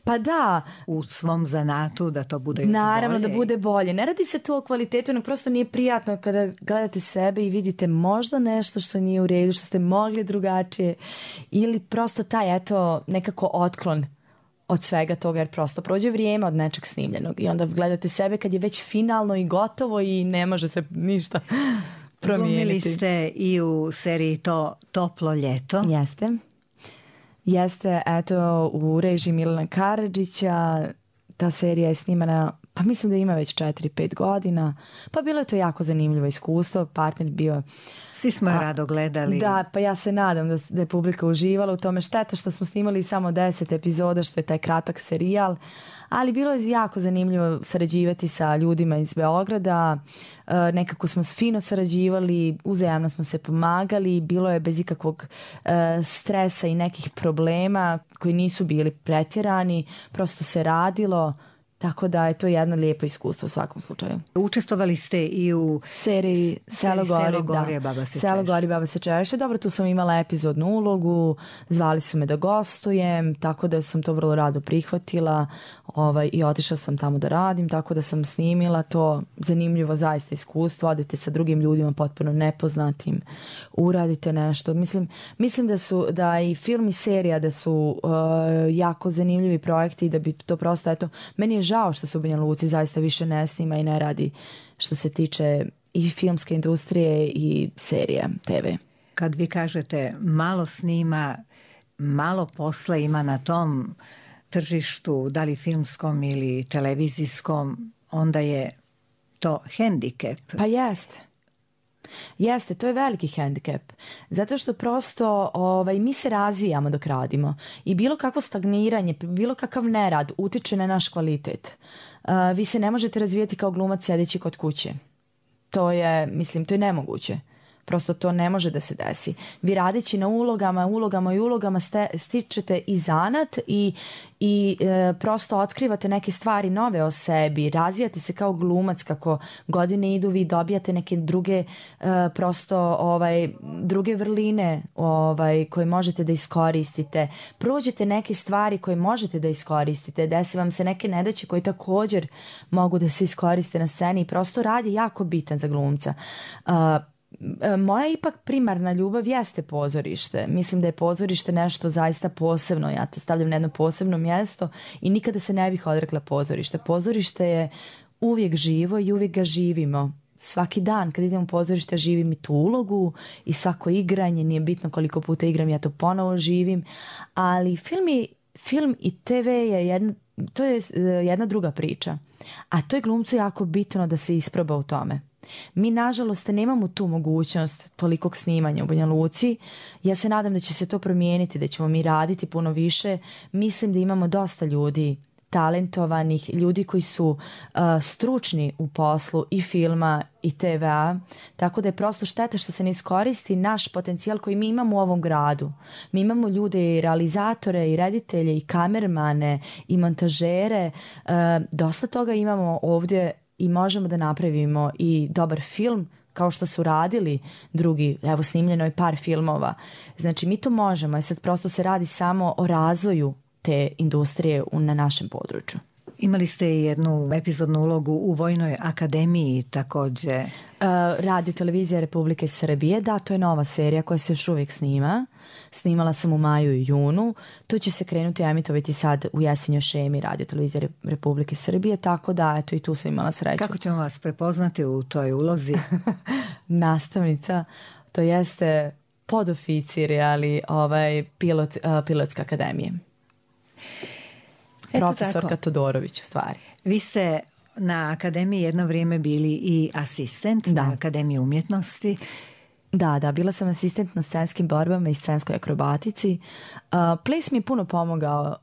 Pa da. U svom zanatu, da to bude još naravno bolje. Da bude bolje. Ne radi se to o kvalitetu, nego prosto nije prijatno kada gledate sebe i vidite možda nešto što nije u redu, što ste mogli drugačije, ili prosto taj, eto, nekako otklon od svega toga, jer prosto prođe vrijeme od nečeg snimljenog i onda gledate sebe kad je već finalno i gotovo i ne može se ništa promijeniti. Glumili ste i u seriji To toplo ljeto. Jeste. Jeste, eto, u režiji Milana Karadžića. Ta serija je snimana, pa mislim da ima već četiri pet godina. Pa bilo je to jako zanimljivo iskustvo. Partner bio... Svi smo je rado gledali. Da, pa ja se nadam da, da je publika uživala u tome. Šteta što smo snimali samo deset epizoda, što je taj kratak serijal. Ali bilo je jako zanimljivo sarađivati sa ljudima iz Beograda. E, nekako smo fino sarađivali, uzajamno smo se pomagali. Bilo je bez ikakvog e, stresa i nekih problema koji nisu bili pretjerani. Prosto se radilo. Tako da je to jedno lijepo iskustvo u svakom slučaju. Učestvovali ste i u seriji Selo gori, gori baba se Selo gori baba se češe. Dobro, tu sam imala epizodnu ulogu, zvali su me da gostujem, tako da sam to vrlo rado prihvatila ovaj, i otišla sam tamo da radim, tako da sam snimila to zanimljivo zaista iskustvo, odete sa drugim ljudima potpuno nepoznatim, uradite nešto. Mislim, mislim da su da i film i serija da su uh, jako zanimljivi projekti i da bi to prosto, eto, meni je žao što se u Banja Luci zaista više ne snima i ne radi što se tiče i filmske industrije i serije te ve. Kad vi kažete malo snima, malo posla ima na tom tržištu, da li filmskom ili televizijskom, onda je to hendikep. Pa jeste. Jeste, to je veliki hendikep. Zato što prosto ovaj, mi se razvijamo dok radimo. I bilo kakvo stagniranje, bilo kakav nerad utiče na naš kvalitet. Uh, vi se ne možete razvijati kao glumac sjedeći kod kuće. To je, mislim, to je nemoguće. Prosto to ne može da se desi. Vi radeći na ulogama, ulogama i ulogama ste, stičete i zanat i, i e, prosto otkrivate neke stvari nove o sebi, razvijate se kao glumac, kako godine idu vi dobijate neke druge e, prosto ovaj, druge vrline ovaj, koje možete da iskoristite. Prođete neke stvari koje možete da iskoristite, desi vam se neke nedaće koje također mogu da se iskoriste na sceni i prosto rad je jako bitan za glumca. Uh, Moja ipak primarna ljubav jeste pozorište. Mislim da je pozorište nešto zaista posebno. Ja to stavljam na jedno posebno mjesto i nikada se ne bih odrekla pozorište. Pozorište je uvijek živo i uvijek ga živimo. Svaki dan kad idem u pozorište živim i tu ulogu i svako igranje, nije bitno koliko puta igram, ja to ponovo živim. Ali film i, film i te ve je jedna, to je jedna druga priča. A to je glumcu jako bitno da se isproba u tome. Mi, nažalost, nemamo tu mogućnost tolikog snimanja u Banja Luci. Ja se nadam da će se to promijeniti, da ćemo mi raditi puno više. Mislim da imamo dosta ljudi, talentovanih, ljudi koji su uh, stručni u poslu i filma i te vea, tako da je prosto šteta što se ne iskoristi naš potencijal koji mi imamo u ovom gradu. Mi imamo ljude i realizatore i reditelje i kamermane i montažere. Uh, dosta toga imamo ovdje i možemo da napravimo i dobar film kao što su radili drugi, evo snimljeno je par filmova. Znači mi to možemo i sad prosto se radi samo o razvoju te industrije na našem području. Imali ste i jednu epizodnu ulogu u Vojnoj akademiji također. Uh, Radio televizija Republike Srbije, da, to je nova serija koja se još uvijek snima. Snimala sam u maju i junu. To će se krenuti emitovati sad u jesenjoj šemi Radio televizije Republike Srbije, tako da eto i tu sam imala sreću. Kako ćemo vas prepoznati u toj ulozi? Nastavnica, to jeste podoficir, ali ovaj pilot, uh, pilotske akademije. Eto Profesorka tako. Todorović u stvari. Vi ste na akademiji jedno vrijeme bili i asistent da. na Akademiji umjetnosti. Da, da, bila sam asistent na scenskim borbama i scenskoj akrobatici. Uh, ples mi je puno pomogao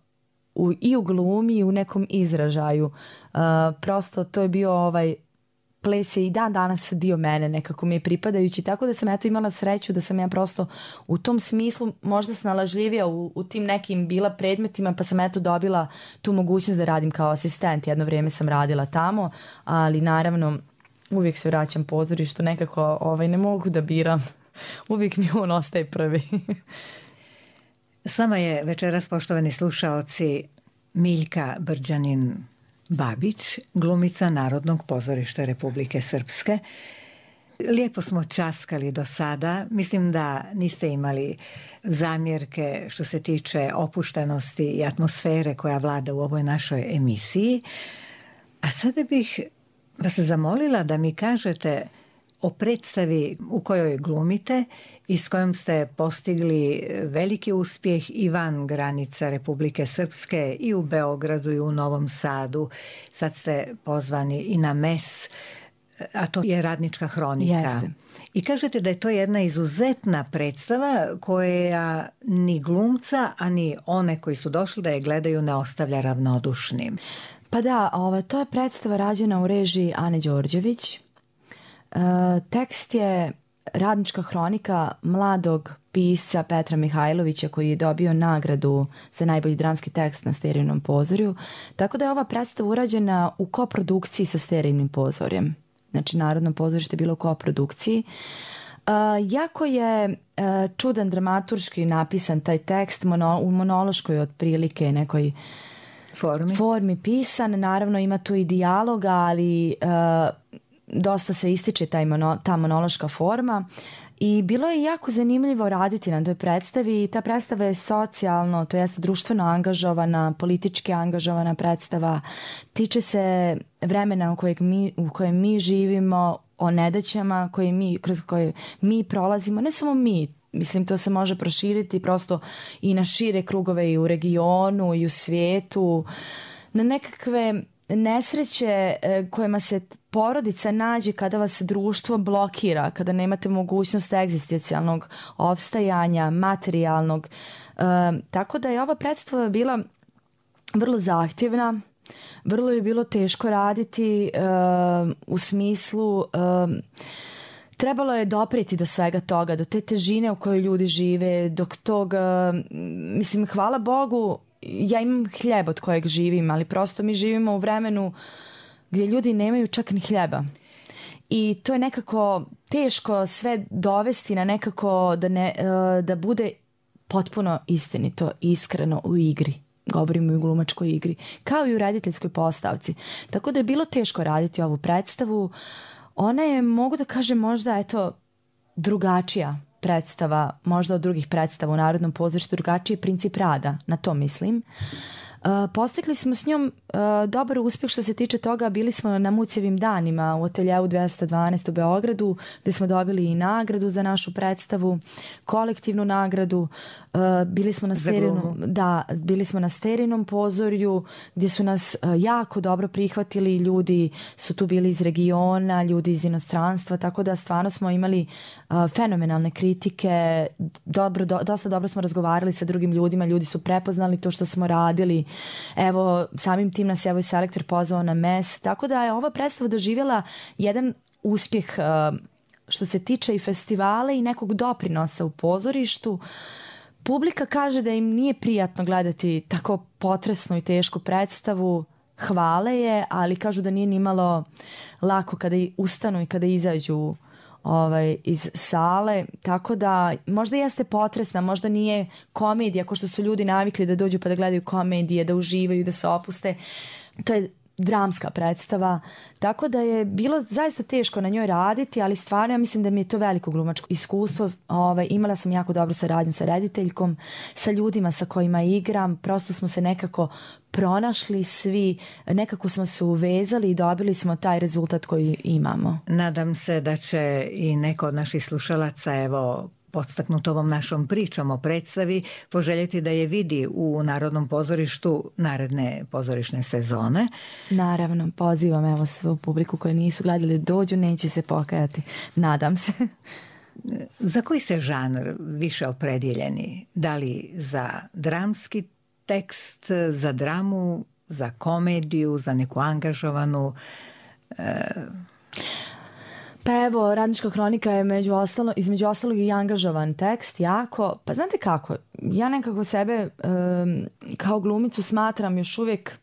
u, i u glumi i u nekom izražaju. Uh, prosto to je bio ovaj ples je i dan danas dio mene, nekako mi je pripadajući, tako da sam eto imala sreću da sam ja prosto u tom smislu možda snalažljivija u, u tim nekim bila predmetima, pa sam eto dobila tu mogućnost da radim kao asistent. Jedno vrijeme sam radila tamo, ali naravno uvijek se vraćam pozorištu, nekako ovaj, ne mogu da biram. Uvijek mi on ostaje prvi. S vama je večeras, poštovani slušaoci, Miljka Brđanin Babić, glumica Narodnog pozorišta Republike Srpske. Lijepo smo časkali do sada. Mislim da niste imali zamjerke što se tiče opuštenosti i atmosfere koja vlada u ovoj našoj emisiji. A sada bih vas zamolila da mi kažete o predstavi u kojoj glumite i s kojom ste postigli veliki uspjeh i van granica Republike Srpske i u Beogradu i u Novom Sadu. Sad ste pozvani i na M E S, a to je Radnička hronika. Jeste. I kažete da je to jedna izuzetna predstava koja ni glumca, a ni one koji su došli da je gledaju ne ostavlja ravnodušnim. Pa da, ova, to je predstava rađena u režiji Ane Đorđević. E, tekst je Radnička hronika mladog pisca Petra Mihajlovića koji je dobio nagradu za najbolji dramski tekst na Sterijnom pozorju. Tako da je ova predstava urađena u koprodukciji sa Sterijnim pozorjem. Znači Narodno pozorište je bilo u koprodukciji. Uh, jako je uh, čudan dramaturški napisan taj tekst mono, u monološkoj otprilike nekoj formi. formi pisan. Naravno ima tu i dijaloga, ali uh, dosta se ističe taj mono, ta monološka forma. I bilo je jako zanimljivo raditi na toj predstavi. Ta predstava je socijalno, to jest društveno angažovana, politički angažovana predstava. Tiče se vremena u kojeg mi, u kojem mi živimo, o nedaćama koje mi, kroz koje mi prolazimo. Ne samo mi, mislim to se može proširiti prosto i na šire krugove i u regionu i u svijetu. Na nekakve nesreće kojima se porodica nađe kada vas društvo blokira, kada nemate mogućnost egzistencijalnog opstajanja, materijalnog. E, tako da je ova predstava bila vrlo zahtjevna, vrlo je bilo teško raditi e, u smislu... E, trebalo je dopreti do svega toga, do te težine u kojoj ljudi žive, dok tog, mislim, hvala Bogu, ja imam hljeb od kojeg živim, ali prosto mi živimo u vremenu gdje ljudi nemaju čak ni hljeba. I to je nekako teško sve dovesti na nekako da, ne, da bude potpuno istinito, iskreno u igri. Govorimo i u glumačkoj igri, kao i u rediteljskoj postavci. Tako da je bilo teško raditi ovu predstavu. Ona je, mogu da kažem, možda eto drugačija predstava, možda od drugih predstava u Narodnom pozorištu, drugačiji je princip rada, na to mislim. Uh, postigli smo s njom uh, dobar uspjeh što se tiče toga, bili smo na Mucijevim danima u ateljeu dvjesto dvanaest u Beogradu, gdje smo dobili i nagradu za našu predstavu, kolektivnu nagradu. Uh, bili smo na Sterinom, da, bili smo na Sterinom pozorju gdje su nas uh, jako dobro prihvatili, ljudi su tu bili iz regiona, ljudi iz inostranstva, tako da stvarno smo imali uh, fenomenalne kritike, dobro, do, dosta dobro smo razgovarali sa drugim ljudima, ljudi su prepoznali to što smo radili. Evo, samim tim nas je evo selektor pozvao na mes, tako da je ova predstava doživjela jedan uspjeh uh, što se tiče i festivala i nekog doprinosa u pozorištu. Publika kaže da im nije prijatno gledati tako potresnu i tešku predstavu, hvale je, ali kažu da nije nimalo lako kada ustanu i kada izađu ovaj, iz sale, tako da možda jeste potresna, možda nije komedija, kao što su ljudi navikli da dođu pa da gledaju komedije, da uživaju, da se opuste. To je dramska predstava, tako da je bilo zaista teško na njoj raditi, ali stvarno ja mislim da mi je to veliko glumačko iskustvo. Ovaj, imala sam jako dobru saradnju sa rediteljkom, sa ljudima sa kojima igram, prosto smo se nekako pronašli svi, nekako smo se uvezali i dobili smo taj rezultat koji imamo. Nadam se da će i neko od naših slušalaca, evo, podstaknut ovom našom pričom o predstavi, poželjeti da je vidi u Narodnom pozorištu naredne pozorišne sezone. Naravno, pozivam evo svu publiku koji nisu gledali dođu, neće se pokajati. Nadam se. Za koji ste žanr više opredjeljeni? Da li za dramski tekst, za dramu, za komediju, za neku angažovanu... E... Pa evo, Radnička hronika je među ostalo, između ostalog i angažovan tekst, jako. Pa znate kako, ja nekako sebe um, kao glumicu smatram još uvijek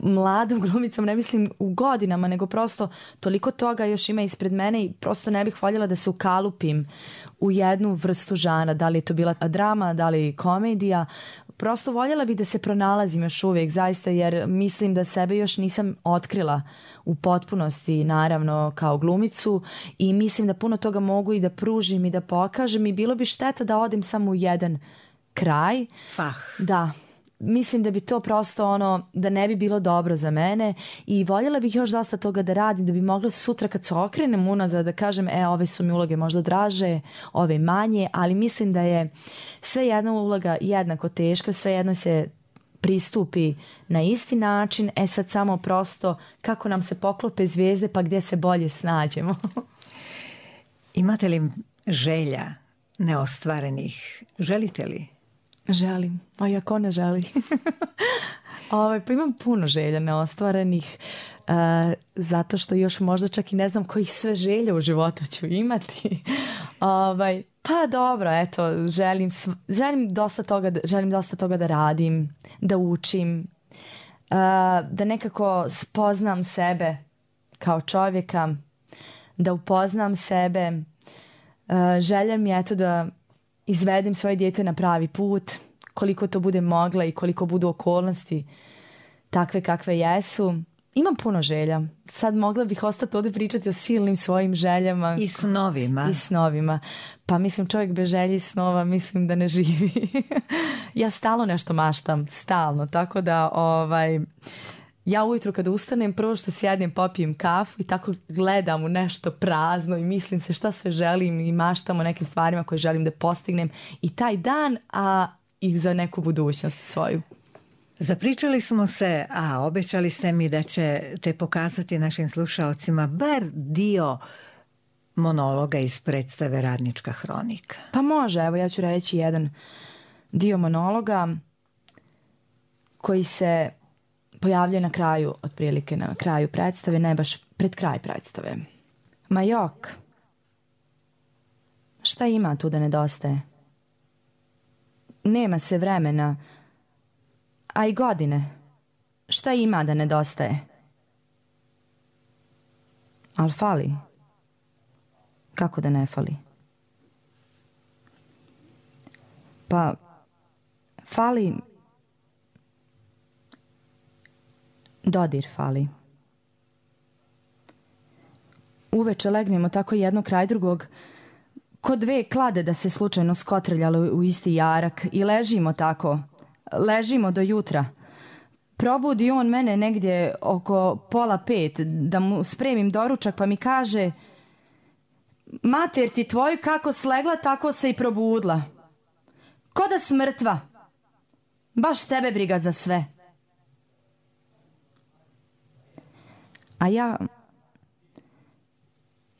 mladom glumicom, ne mislim u godinama, nego prosto toliko toga još ima ispred mene i prosto ne bih voljela da se ukalupim u jednu vrstu žana, da li je to bila drama, da li komedija. Prosto voljela bih da se pronalazim još uvijek, zaista, jer mislim da sebe još nisam otkrila u potpunosti, naravno, kao glumicu, i mislim da puno toga mogu i da pružim i da pokažem i bilo bi šteta da odem samo u jedan kraj. Fah. Da. Mislim da bi to prosto ono, da ne bi bilo dobro za mene i voljela bih još dosta toga da radim, da bi mogla sutra kad se okrenem unazad da kažem, e, ove su mi uloge možda draže, ove manje, ali mislim da je sve jedna uloga jednako teška, sve jedno se pristupi na isti način, e sad samo prosto kako nam se poklope zvijezde pa gdje se bolje snađemo. Imate li želja neostvarenih? Želite li? Želim, a i ako ne želi. Ove, pa imam puno želja neostvarenih, uh, zato što još možda čak i ne znam kojih sve želja u životu ću imati. Ove, pa dobro, eto, želim, želim, dosta toga, želim dosta toga da radim, da učim, uh, da nekako spoznam sebe kao čovjeka, da upoznam sebe. Uh, želja mi je eto da izvedem svoje dijete na pravi put, koliko to bude mogla i koliko budu okolnosti takve kakve jesu. Imam puno želja. Sad mogla bih ostati ovdje pričati o silnim svojim željama. I snovima. I snovima. Pa mislim, čovjek bez želji i snova mislim da ne živi. Ja stalno nešto maštam, stalno. Tako da ovaj, ja ujutru kad ustanem, prvo što sjednem, popijem kafu i tako gledam u nešto prazno i mislim se šta sve želim i maštam o nekim stvarima koje želim da postignem i taj dan, a i za neku budućnost svoju. Zapričali smo se, a obećali ste mi da ćete pokazati našim slušaocima bar dio monologa iz predstave Radnička hronika. Pa može, evo ja ću reći jedan dio monologa koji se pojavljuje na kraju, otprilike na kraju predstave, ne baš pred kraj predstave. Ma jok, šta ima tu da nedostaje? Nema se vremena, a i godine. Šta ima da nedostaje? Al fali. Kako da ne fali? Pa, fali... Dodir fali. Uveče legnemo tako jedno kraj drugog, ko dve klade da se slučajno skotrljale u isti jarak i ležimo tako. Ležimo do jutra. Probudi on mene negdje oko pola pet da mu spremim doručak pa mi kaže: mater ti tvoju kako slegla tako se i probudla. Ko da smrtva. Baš tebe briga za sve. A ja...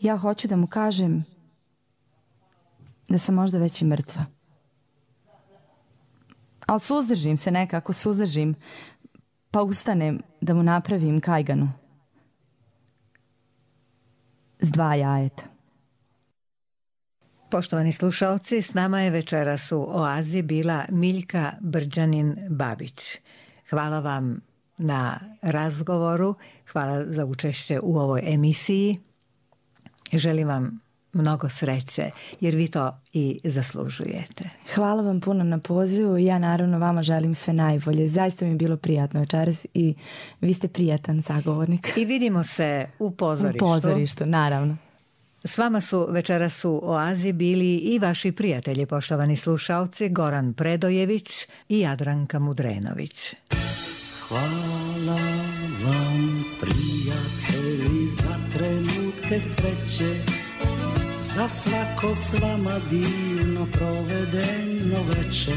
Ja hoću da mu kažem da sam možda već i mrtva. Ali suzdržim se nekako, suzdržim, pa ustanem da mu napravim kajganu. S dva jajeta. Poštovani slušaoci, s nama je večeras u Oazi bila Miljka Brđanin-Babić. Hvala vam na razgovoru, hvala za učešće u ovoj emisiji. Želim vam mnogo sreće, jer vi to i zaslužujete. Hvala vam puno na pozivu i ja naravno vama želim sve najbolje. Zaista mi je bilo prijatno večeras i vi ste prijatan sagovornik. I vidimo se u pozorištu. U pozorištu, naravno. S vama su večeras u Oazi bili i vaši prijatelji, poštovani slušaoci, Goran Predojević i Jadranka Mudrenović. Hvala vam, prijatelji, za trenutke sreće, za svako s vama divno provedeno veče.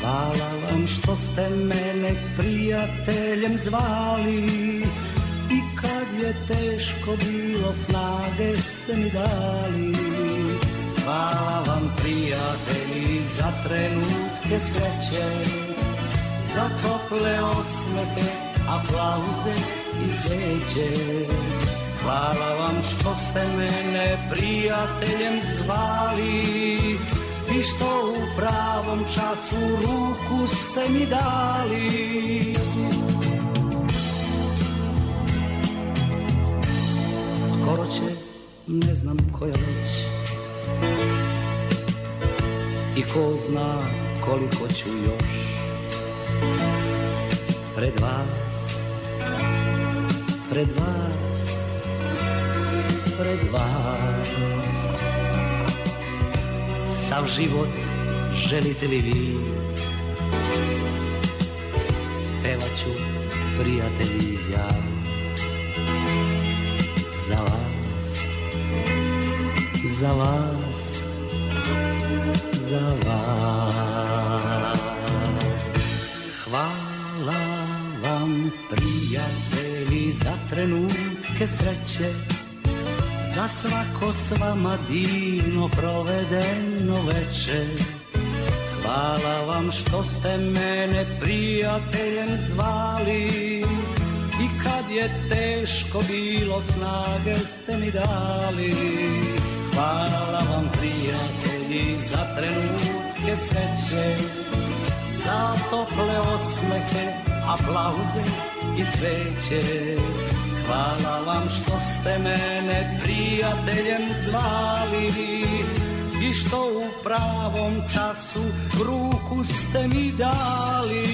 Hvala vam što ste mene prijateljem zvali i kad je teško bilo snage ste mi dali. Hvala vam, prijatelji, za trenutke sreće, za tople osmehe, aplauze i zeće. Hvala vam što ste mene prijateljem zvali i što u pravom času ruku ste mi dali. Skoro će, ne znam koja već, i ko zna koliko ću još pred vas, pred vas, pred vas. Sav život želite li vi, pevat ću, prijatelji, ja za vas, za vas, za vas. Hvala vam, prijatelji, za trenutke sreće, za svako s vama divno provedeno veče. Hvala vam što ste mene prijateljem zvali i kad je teško bilo snage ste mi dali. Hvala vam, prijatelji, za trenutke sreće, za tople osmehe, aplauze i cveće. Hvala vam što ste mene prijateljem zvali i što u pravom času ruku ste mi dali.